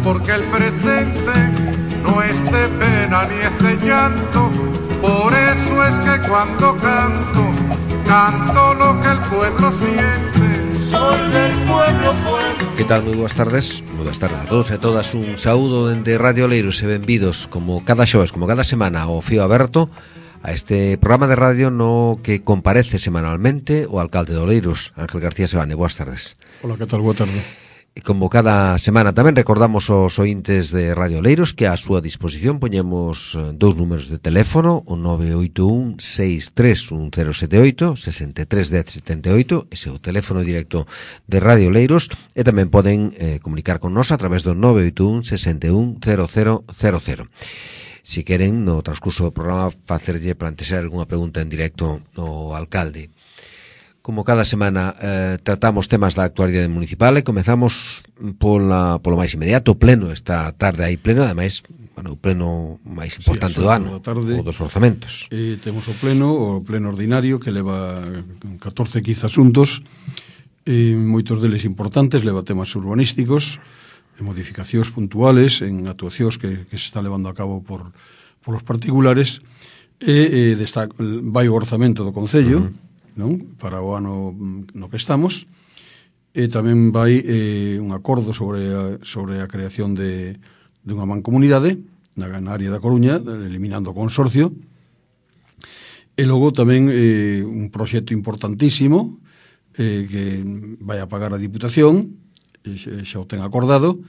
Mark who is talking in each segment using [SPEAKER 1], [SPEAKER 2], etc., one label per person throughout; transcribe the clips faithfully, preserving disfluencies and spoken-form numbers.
[SPEAKER 1] porque el presente no es de pena ni es de llanto. Por eso es que cuando canto, canto lo que el pueblo siente. Soy del pueblo, pueblo.
[SPEAKER 2] Que tal? Moi boas tardes. Moi boas tardes a todos e a todas. Un saúdo dende Radio Oleiros e benvidos como cada xoves, como cada semana ao Fío Aberto, a este programa de radio no que comparece semanalmente o alcalde de Oleiros, Ángel García Sebane. Boas tardes.
[SPEAKER 3] Hola, que tal? Boa tarde.
[SPEAKER 2] E como cada semana tamén recordamos aos ointes de Radio Oleiros que a súa disposición poñemos dous números de teléfono, o nove oito un, seis tres un cero sete oito, seis tres un cero sete oito, ese é o teléfono directo de Radio Oleiros, e tamén poden eh, comunicar con nos a través do nove oito un, seis un, cero cero cero cero. Si queren, no transcurso do programa, facerlle plantexar algunha pregunta en directo ao alcalde. Como cada semana eh, tratamos temas da actualidade municipal e comezamos pola, polo máis inmediato. O pleno esta tarde hai pleno, ademais, bueno, o pleno máis importante sí, do ano, o dos orzamentos.
[SPEAKER 3] Eh, temos o pleno, o pleno ordinario, que leva catorce, quince asuntos, eh, moitos deles importantes, leva temas urbanísticos, e modificacións puntuales en actuacións que, que se están levando a cabo por, por os particulares, e eh, desta, vai o orzamento do Concello, uh-huh. non? Para o ano no que estamos, e tamén vai eh, un acordo sobre a, sobre a creación de, de unha mancomunidade na, na área da Coruña, eliminando o consorcio, e logo tamén eh, un proxecto importantísimo eh, que vai a pagar a Diputación, e xa o ten acordado,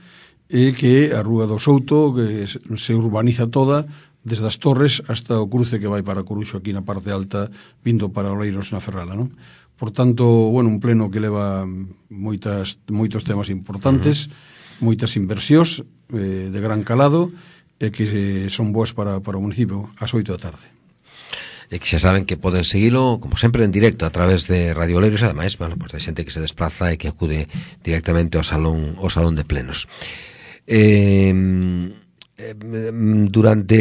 [SPEAKER 3] e que a Rúa do Souto que se urbaniza toda desde as Torres hasta o cruce que vai para Coruxo aquí na parte alta, vindo para Oleiros na Ferrala, non? Por tanto, bueno, un pleno que leva moitas, moitos temas importantes, uh-huh. moitas inversións eh, de gran calado, e que eh, son boas para, para o municipio ás oito da tarde.
[SPEAKER 2] E que xa saben que poden seguilo, como sempre, en directo a través de Radio Oleiros, e ademais, bueno, pues, de xente que se desplaza e que acude directamente ao salón, ao salón de plenos. Eh... Durante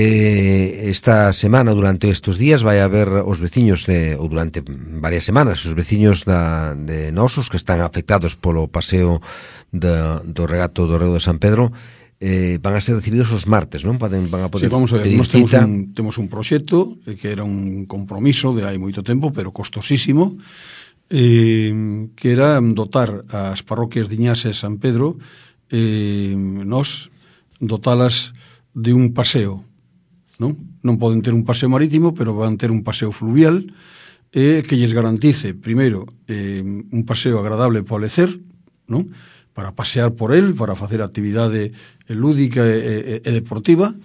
[SPEAKER 2] esta semana, durante estes días, vai haber os veciños de, ou durante varias semanas, os veciños da, de Nosos que están afectados polo paseo de, do regato do Reo de San Pedro, eh, van a ser recibidos os martes, non? Van a poder
[SPEAKER 3] sí, vamos a ver,
[SPEAKER 2] pedir
[SPEAKER 3] nós temos
[SPEAKER 2] cita.
[SPEAKER 3] un, temos un proxecto que era un compromiso de hai moito tempo, pero costosísimo, eh, que era dotar as parroquias de Iñas e San Pedro, eh, nós dotalas de un paseo, non? Non poden ter un paseo marítimo, pero van ter un paseo fluvial eh, que lles garantice, primeiro, eh, un paseo agradable para o lecer, non? Para pasear por el, para facer actividade lúdica e, e, e deportiva,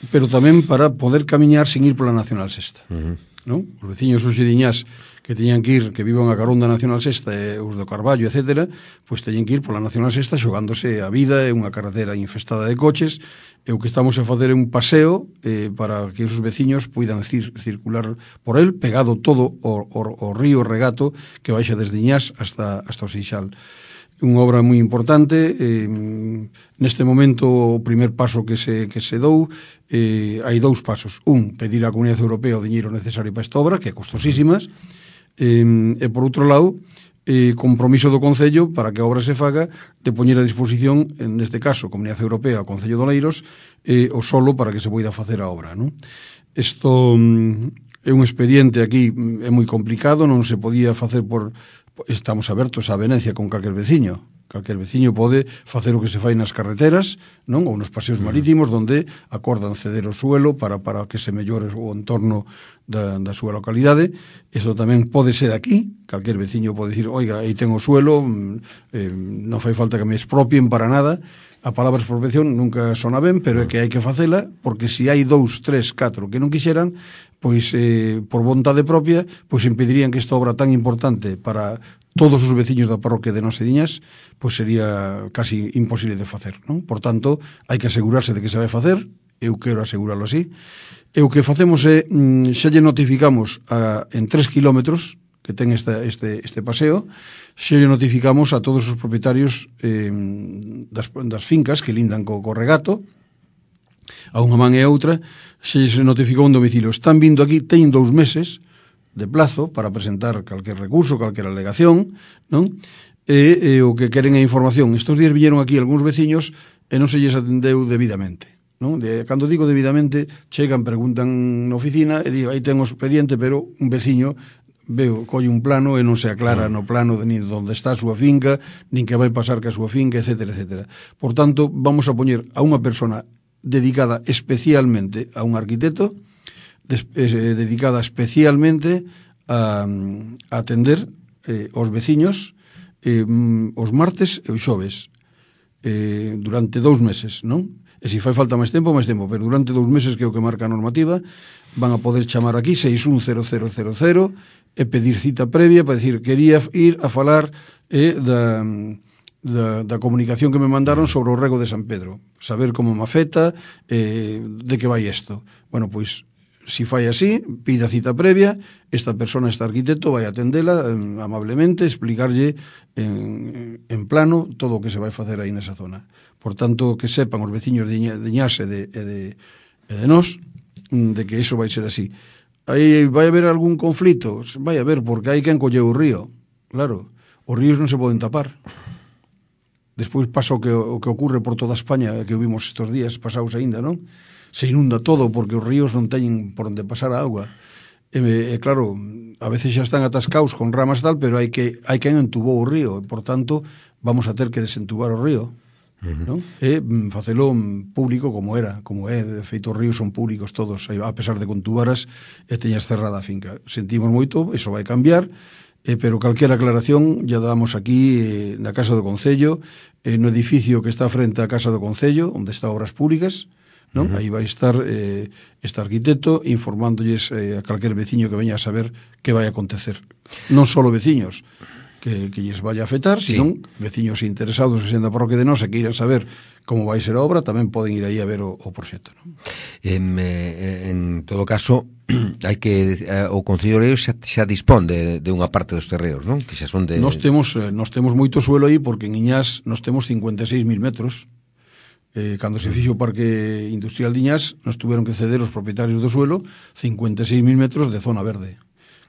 [SPEAKER 3] pero tamén para poder camiñar sin ir pola Nacional Sexta. Uh-huh. Non? Os veciños os xediñás que teñan que ir, que vivan a carón da Nacional Sexta e os do Carballo, etcétera, pois teñen que ir pola Nacional Sexta xogándose a vida, é unha carretera infestada de coches, e o que estamos a facer é un paseo eh, para que os veciños poidan cir, circular por el, pegado todo o, o, o río Regato que baixa desde Iñás hasta, hasta o Seixal. Unha obra moi importante, eh, neste momento o primer paso que se, que se dou, eh, hai dous pasos. Un, pedir á Comunidade Europea o diñeiro necesario para esta obra, que é costosísimas, eh, e por outro lado, eh, compromiso do Concello para que a obra se faga de poñer a disposición, neste caso, Comunidade Europea, o Concello de Oleiros, eh, o solo para que se poida facer a obra, non? Isto mm, é un expediente aquí, é moi complicado, non se podía facer por... Estamos abertos á avenencia con calquer veciño. Calquer veciño pode facer o que se fai nas carreteras, non? Ou nos paseos marítimos, onde acordan ceder o suelo para, para que se mellore o entorno da, da súa localidade. Isto tamén pode ser aquí. Calquer veciño pode dicir, oiga, aí ten o suelo, eh, non fai falta que me expropien para nada. A palabra expropiación nunca sona ben, pero é que hai que facela, porque se hai dous, tres, catro que non quixeran, pois eh, por vontade propia, pois impedirían que esta obra tan importante para todos os veciños da parroquia de Nosediñas, pois sería casi imposible de facer, non? Por tanto, hai que asegurarse de que se vai facer, eu quero asegurarlo así, e o que facemos é, xa lle notificamos a, en tres kilómetros que ten esta, este, este paseo, xa lle notificamos a todos os propietarios eh, das, das fincas que lindan co, co regato, a unha man e a outra, se se notificou un domicilio. Están vindo aquí, teñen dous meses de plazo para presentar calquer recurso, calquer alegación, non? E, e o que queren é información. Estos días viñeron aquí algúns veciños e non se lles atendeu debidamente. Non? De, cando digo debidamente, chegan, preguntan na oficina e digo, aí ten o expediente, pero un veciño veo, colle un plano e non se aclara no plano de nin onde está a súa finca, nin que vai pasar que a súa finca, etcétera, etcétera. Por tanto, vamos a poñer a unha persona dedicada especialmente a un arquitecto, des, eh, dedicada especialmente a, a atender eh, os veciños eh, os martes e os xoves eh, durante dous meses, non? E se fai falta máis tempo, máis tempo, pero durante dous meses, que é o que marca a normativa, van a poder chamar aquí seis un cero cero cero cero e pedir cita previa para decir, quería ir a falar eh, da, da, da comunicación que me mandaron sobre o rego de San Pedro, saber como me afecta, eh, de que vai isto. Bueno, pois, si fai así, pida cita previa, esta persona, este arquitecto, vai atendela eh, amablemente, explicarlle en, en plano todo o que se vai facer aí nesa zona. Por tanto, que sepan os veciños de Iñás e de, e de, e de nós de que iso vai ser así. Aí vai haber algún conflito? Vai haber, porque hai quen colleu o río. Claro, os ríos non se poden tapar. Despois pasa o que, o que ocurre por toda España, que o vimos estes días pasados aínda, non? Se inunda todo porque os ríos non teñen por onde pasar a auga. E, e claro, a veces xa están atascados con ramas tal, pero hai que hai quen entubou o río, e, por tanto, vamos a ter que desentubar o río. Uh-huh. Non? E facelo público como era, como é, de feito os ríos son públicos todos, a pesar de que contubaras e teñas cerrada a finca. Sentimos moito, iso vai cambiar, eh, pero calquera aclaración ya damos aquí eh, na Casa do Concello, eh, no edificio que está frente á Casa do Concello, onde está Obras Públicas, non? Uh-huh. Aí vai estar eh, este arquitecto informándolles eh, a calquer veciño que veña a saber que vai acontecer. Non só veciños que, que lles vaya a afectar, sí, senón veciños interesados en da parroquia de nós e que iran saber como vai ser a obra, tamén poden ir aí a ver o, o proxecto, non?
[SPEAKER 2] En, en todo caso, hai que eh, o Concello de Leiro xa, xa dispón de, de unha parte dos terreos, non? Que xa son de...
[SPEAKER 3] Nós temos, eh, nós temos moito suelo aí, porque en Iñás nós temos cincuenta e seis mil metros. Eh, cando se fixo o Parque Industrial de Iñás, nos tuveron que ceder os propietarios do suelo cincuenta e seis mil metros de zona verde,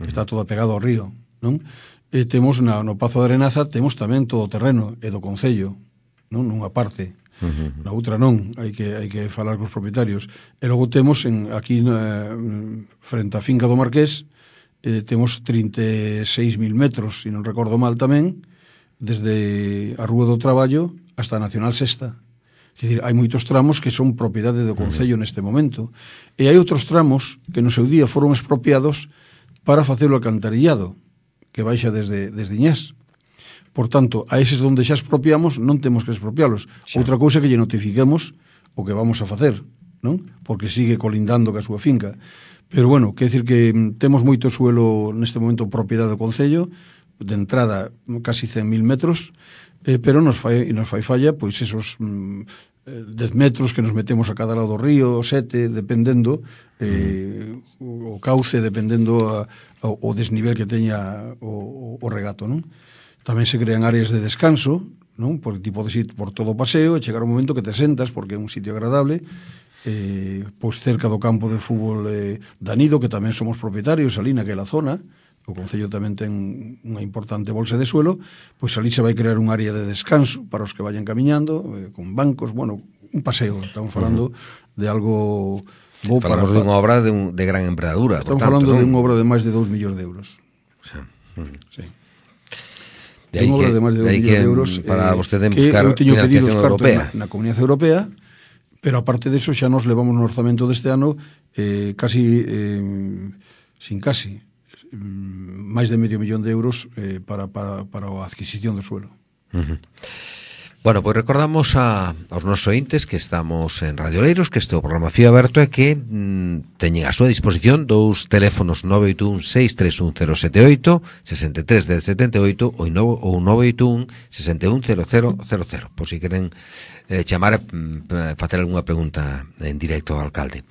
[SPEAKER 3] que está todo pegado ao río, non? E temos na, no Pazo de Arenaza temos tamén todo o terreno, e do Concello, non? Nunha parte, uh-huh. Na outra non, hai que hai que falar cos propietarios. E logo temos en, aquí na, frente á finca do Marqués, eh, temos trinta e seis mil metros, se non recordo mal tamén, desde a Rúa do Traballo hasta a Nacional Sexta. Quer dizer, hai moitos tramos que son propiedade do Concello uh-huh. neste momento, e hai outros tramos que no seu día foron expropiados para facer o alcantarillado, que baixa desde, desde Iñás. Por tanto, a eses onde xa expropiamos non temos que expropialos. Xa. Outra cousa que lle notifiquemos o que vamos a facer, non? Porque sigue colindando ca súa finca. Pero bueno, quer decir que temos moito suelo neste momento propiedade do Concello, de entrada casi cen mil metros, eh, pero nos fai, nos fai falla pois esos mm, dez metros que nos metemos a cada lado do río, sete, dependendo eh, o, o cauce, dependendo a, a, o desnivel que teña o, o regato, non? Tamén se crean áreas de descanso, non? Porque ti podes ir por todo o paseo e chegar un momento que te sentas, porque é un sitio agradable, eh, pois cerca do campo de fútbol eh, Danido, que tamén somos propietarios ali naquela zona. O Concello tamén ten unha importante bolsa de suelo, pois ali se vai crear un área de descanso para os que vayan camiñando, eh, con bancos, bueno, un paseo. Estamos falando uh-huh. de algo bo para...
[SPEAKER 2] Falamos de unha obra de, un, de gran envergadura.
[SPEAKER 3] Estamos
[SPEAKER 2] por tanto,
[SPEAKER 3] falando
[SPEAKER 2] ¿no?
[SPEAKER 3] de unha obra de máis de dous millóns de euros.
[SPEAKER 2] O sea, uh-huh.
[SPEAKER 3] Sí.
[SPEAKER 2] De aí
[SPEAKER 3] unha obra
[SPEAKER 2] que,
[SPEAKER 3] de máis de dous millóns de euros
[SPEAKER 2] para eh, vostede
[SPEAKER 3] buscar financiación
[SPEAKER 2] europea.
[SPEAKER 3] Na, na Comunidade Europea, pero aparte de eso xa nos levamos no orzamento deste ano eh, casi, eh, sin casi, máis de medio millón de euros eh, para, para, para a adquisición do suelo.
[SPEAKER 2] Uh-huh. Bueno, pois pues recordamos a, aos nosos ointes que estamos en Radio Leiros, que este é o programa Fío Aberto e que mm, teñen a súa disposición dous teléfonos nove oito un seis tres un cero sete oito, sesenta e tres dez setenta e oito ou nove oito un sesenta e un cero cero cero cero, por si queren eh, chamar e facer algunha pregunta en directo ao alcalde.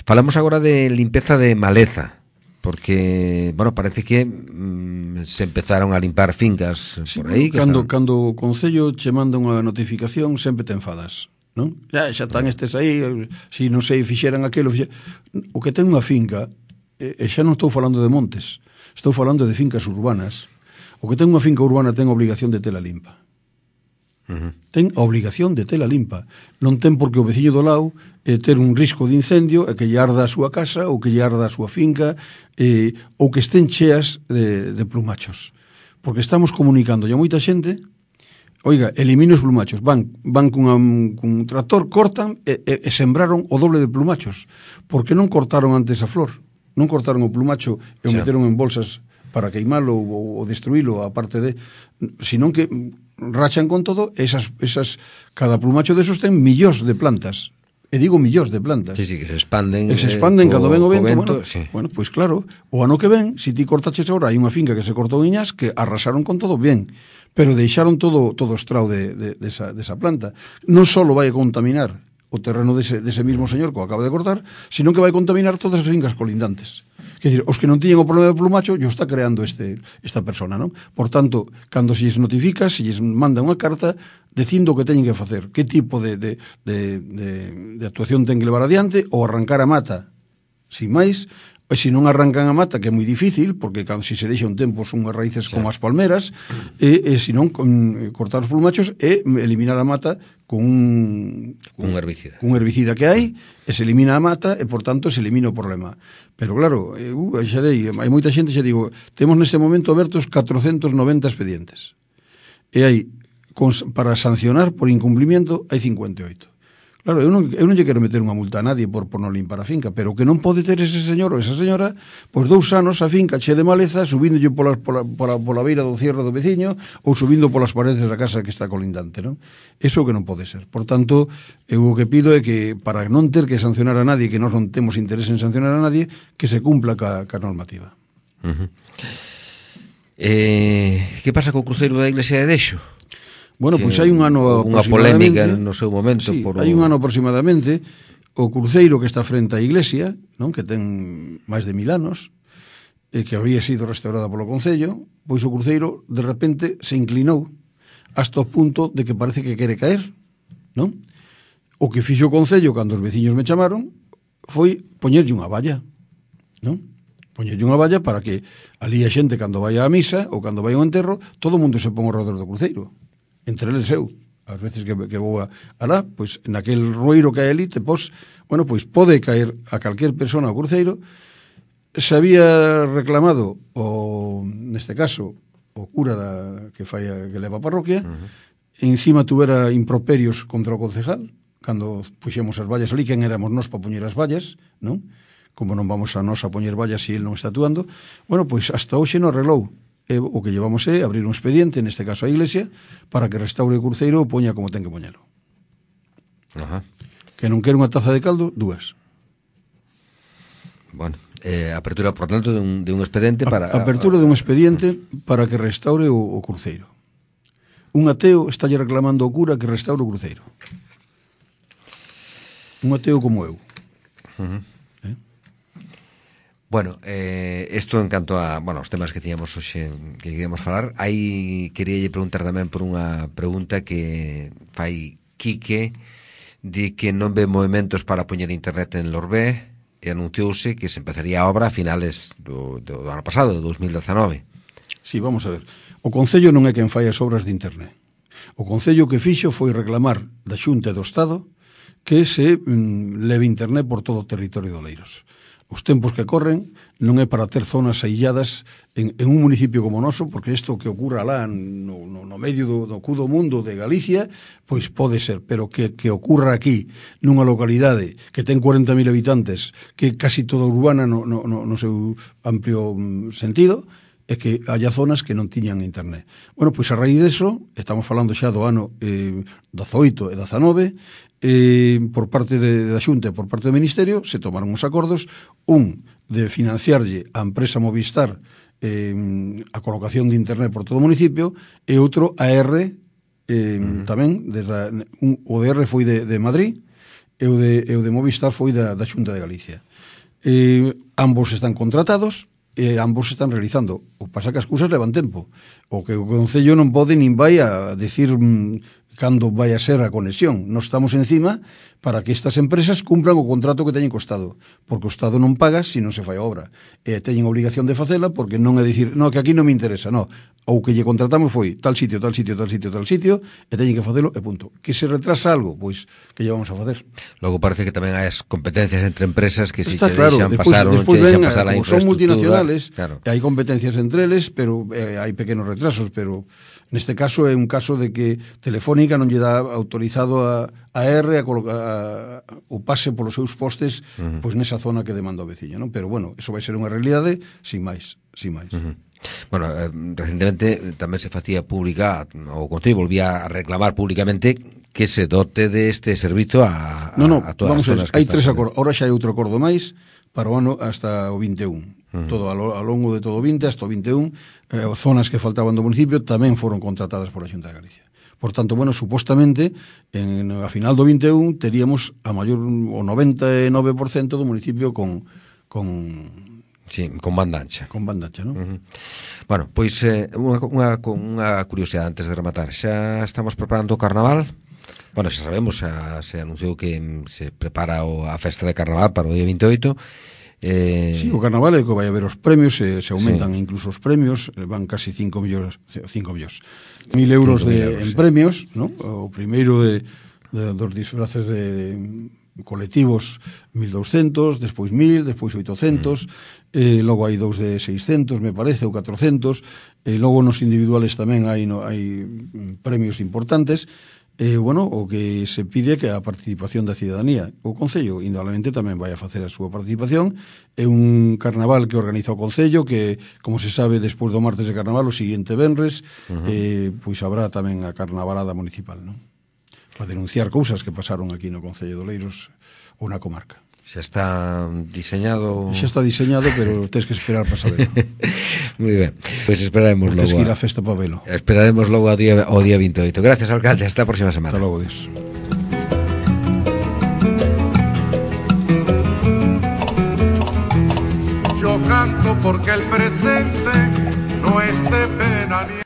[SPEAKER 2] Falamos agora de limpeza de maleza, porque, bueno, parece que mm, se empezaron a limpar fincas sí, por aí. Que
[SPEAKER 3] cando,
[SPEAKER 2] están...
[SPEAKER 3] cando o Concello che manda unha notificación, sempre te enfadas, non? Ya, xa están estes aí, si non sei, fixeran aquilo, fixeran... O que ten unha finca, e, e xa non estou falando de montes, estou falando de fincas urbanas. O que ten unha finca urbana ten obligación de tela limpa.
[SPEAKER 2] Uh-huh.
[SPEAKER 3] Ten a obligación de tela limpa. Non ten porque o veciño do lado eh, ter un risco de incendio e que lle arda a súa casa ou que lle arda a súa finca eh, ou que estén cheas de, de plumachos. Porque estamos comunicando a moita xente, oiga, elimine os plumachos, van, van cunha, cun tractor, cortan e, e, e sembraron o doble de plumachos. Porque non cortaron antes a flor, non cortaron o plumacho e o sí. meteron en bolsas para queimalo ou, ou destruílo, aparte de, senón que rachan con todo, esas, esas, cada plumacho desos ten millóns de plantas. E digo millóns de plantas.
[SPEAKER 2] Sí, sí, que se expanden.
[SPEAKER 3] Que se expanden eh, cando ven o vento.
[SPEAKER 2] vento
[SPEAKER 3] bueno,
[SPEAKER 2] sí.
[SPEAKER 3] bueno, pois pues claro, o ano que ven, se si ti cortaches agora, hai unha finca que se cortou iñas que arrasaron con todo bien, pero deixaron todo todo estrao de, de, de, esa, de esa planta. Non só vai a contaminar o terreno dese, dese mismo señor que o acaba de cortar, sino que vai contaminar todas as fincas colindantes. Quer dizer, os que non tiñen o problema de plumacho, yo está creando este, esta persona, non? Por tanto, cando se lles notifica, se lles manda unha carta dicindo o que teñen que facer, que tipo de, de, de, de, de actuación ten que levar adiante, ou arrancar a mata, sin máis, e se non arrancan a mata, que é moi difícil, porque cando se se deixa un tempo son unhas raíces sí. como as palmeras, e, e se non, con, cortar os plumachos e eliminar a mata con un,
[SPEAKER 2] un herbicida.
[SPEAKER 3] Un herbicida que hai, e se elimina a mata, e por tanto se elimina o problema. Pero claro, eu, xa dei, hai moita xente, xa digo, temos neste momento abertos catrocentos noventa expedientes. E hai, para sancionar por incumplimiento, hai cincuenta e oito. Claro, eu non, eu non lle quero meter unha multa a nadie por, por non limpar a finca, pero que non pode ter ese señor ou esa señora, pois dous anos a finca che de maleza, subíndolle pola, pola, pola, pola beira do cierre do veciño ou subindo polas paredes da casa que está colindante, non? Eso que non pode ser. Por tanto, eu o que pido é que, para non ter que sancionar a nadie, que nós non temos interés en sancionar a nadie, que se cumpla ca, ca normativa.
[SPEAKER 2] Uh-huh. Eh, que pasa co cruceiro da Iglesia de Dexo?
[SPEAKER 3] Bueno, pois pues hai un ano
[SPEAKER 2] unha polémica no seu momento.
[SPEAKER 3] Sí,
[SPEAKER 2] por
[SPEAKER 3] hai un ano aproximadamente, o cruceiro que está frente á iglesia, non, que ten máis de mil anos, e que había sido restaurada polo Concello, pois o cruceiro de repente se inclinou hasta o punto de que parece que quere caer, non? O que fixo o Concello cando os veciños me chamaron foi poñerlle unha valla, non? Poñerlle unha valla para que ali a xente cando vai á misa ou cando vai ao enterro, todo o mundo se pon ao redor do cruceiro. Entre eles eu, ás veces que, que vou a alá, pois naquel rueiro que hai ali, te pos, bueno, pois pode caer a calquer persona ao cruceiro. Se había reclamado o, neste caso, o cura da, que fai a, que leva a parroquia, uh-huh. Encima tuvera improperios contra o concejal, cando puxemos as vallas ali, quen éramos nós para poñer as vallas, non? Como non vamos a nós a poñer vallas se si ele non está actuando. Bueno, pois hasta hoxe non arreglou. E o que llevamos é abrir un expediente, neste caso a Iglesia, para que restaure o cruceiro e poña como ten que poñelo.
[SPEAKER 2] Ajá.
[SPEAKER 3] Que non quere unha taza de caldo, dúas.
[SPEAKER 2] Bueno, eh, apertura, por tanto, de un, de un expediente para...
[SPEAKER 3] A, apertura de un expediente para que restaure o, o cruceiro. Un ateo está lle reclamando ao cura que restaure o cruceiro. Un ateo como eu.
[SPEAKER 2] Uh-huh. Bueno, eh, isto en canto a, bueno, os temas que tiñamos hoxe que queríamos falar, aí queríalle preguntar tamén por unha pregunta que fai Quique, de que non ve movimentos para poñer internet en Lorbé, e anunciouse que se empezaría a obra a finales do, do, do ano pasado, do dos mil dezanove.
[SPEAKER 3] Sí, vamos a ver. O Concello non é quen fai as obras de internet. O Concello que fixo foi reclamar da Xunta e do Estado que se mm, leve internet por todo o territorio de Oleiros. Os tempos que corren non é para ter zonas ailladas en, en un municipio como o noso, porque isto que ocurra lá no, no, no medio do, do cu do mundo de Galicia, pois pode ser, pero que, que ocurra aquí, nunha localidade que ten cuarenta mil habitantes, que casi toda urbana no, no, no, no seu amplio sentido, é que haya zonas que non tiñan internet. Bueno, pois a raíz deso, estamos falando xa do ano eh, dezaoito e dezanove, eh, por parte de, da Xunta e por parte do Ministerio, se tomaron os acordos, un de financiarlle a empresa Movistar eh, a colocación de internet por todo o municipio, e outro a R, eh, uh-huh. tamén, desde, un, o de R foi de, de Madrid, e o de, e o de Movistar foi da, da Xunta de Galicia. Eh, ambos están contratados, e ambos están realizando. O pasa que as cousas levan tempo. O que o Concello non pode nin vai a decir mm, cando vai a ser a conexión. Nos estamos encima para que estas empresas cumpran o contrato que teñen co Estado, porque o Estado non paga se non se fai a obra, e teñen obligación de facela, porque non é dicir, no, que aquí non me interesa, no, ou que lle contratamos foi tal sitio, tal sitio, tal sitio, tal sitio, e teñen que facelo, e punto. Que se retrasa algo, pois, que lle vamos a facer?
[SPEAKER 2] Logo parece que tamén hai as competencias entre empresas que si
[SPEAKER 3] Está
[SPEAKER 2] che
[SPEAKER 3] claro,
[SPEAKER 2] deixan
[SPEAKER 3] despois,
[SPEAKER 2] pasar ou non
[SPEAKER 3] despois
[SPEAKER 2] che deixan
[SPEAKER 3] ven,
[SPEAKER 2] pasar a
[SPEAKER 3] como son
[SPEAKER 2] infraestructura,
[SPEAKER 3] multinacionales,
[SPEAKER 2] claro.
[SPEAKER 3] hai competencias entre eles, pero eh, hai pequenos retrasos, pero neste caso é un caso de que Telefónica non lle dá autorizado a, a R a, coloca, a, o pase polos seus postes uh -huh. pois nesa zona que demanda o veciño, non? Pero bueno, eso vai ser unha realidade sin máis, sin máis. Uh -huh.
[SPEAKER 2] Bueno, eh, recentemente tamén se facía pública, o Concello volvía a reclamar públicamente que se dote deste servizo a, a,
[SPEAKER 3] no, no,
[SPEAKER 2] a todas
[SPEAKER 3] vamos
[SPEAKER 2] as zonas
[SPEAKER 3] hai
[SPEAKER 2] que
[SPEAKER 3] tres
[SPEAKER 2] están.
[SPEAKER 3] acordos, ahora xa hai outro acordo máis para o ano hasta o vinte e un. Uh -huh. Todo a lo, a longo de todo o vinte hasta o vinte e un, eh, zonas que faltaban do municipio tamén foron contratadas por a Xunta de Galicia. Por tanto, bueno, supostamente en, a final do vinte e un teríamos a maior o noventa e nove por cento do municipio con con
[SPEAKER 2] sí, con banda ancha.
[SPEAKER 3] Con banda ancha, non?
[SPEAKER 2] Uh -huh. Bueno, pois eh, unha, unha, unha curiosidade antes de rematar. Xa estamos preparando o carnaval. Bueno, xa sabemos, xa se anunciou que se prepara o, a festa de carnaval para o día vinte e oito. Eh...
[SPEAKER 3] Sí, o carnaval é que vai haber os premios, se, se aumentan sí. incluso os premios, van casi cinco millóns, cinco millóns, mil euros de, euros, en sí. premios, ¿no? O primeiro de, de dos disfraces de, de colectivos mil doscientos, despois mil, despois oitocentos, mm. eh, logo hai dous de seiscentos, me parece, ou catrocentos, e logo nos individuales tamén hai, no, hai premios importantes. Eh, bueno, o que se pide é que a participación da cidadanía. O Concello, indudablemente, tamén vai a facer a súa participación. É un carnaval que organiza o Concello, que, como se sabe, despois do martes de carnaval, o seguinte venres, uh -huh. eh, pois habrá tamén a carnavalada municipal, non? Para denunciar cousas que pasaron aquí no Concello de Oleiros ou na comarca.
[SPEAKER 2] Xa está diseñado...
[SPEAKER 3] Xa está diseñado, pero tens que esperar para saberlo.
[SPEAKER 2] Moi ben, pois pues esperaremos logo.
[SPEAKER 3] Tens que ir á festa para velo.
[SPEAKER 2] Esperaremos logo ao día, ao día vinte e oito. Gracias, alcalde, hasta a próxima semana.
[SPEAKER 3] Hasta logo, Dios.
[SPEAKER 1] Yo canto porque el presente no es de pena ni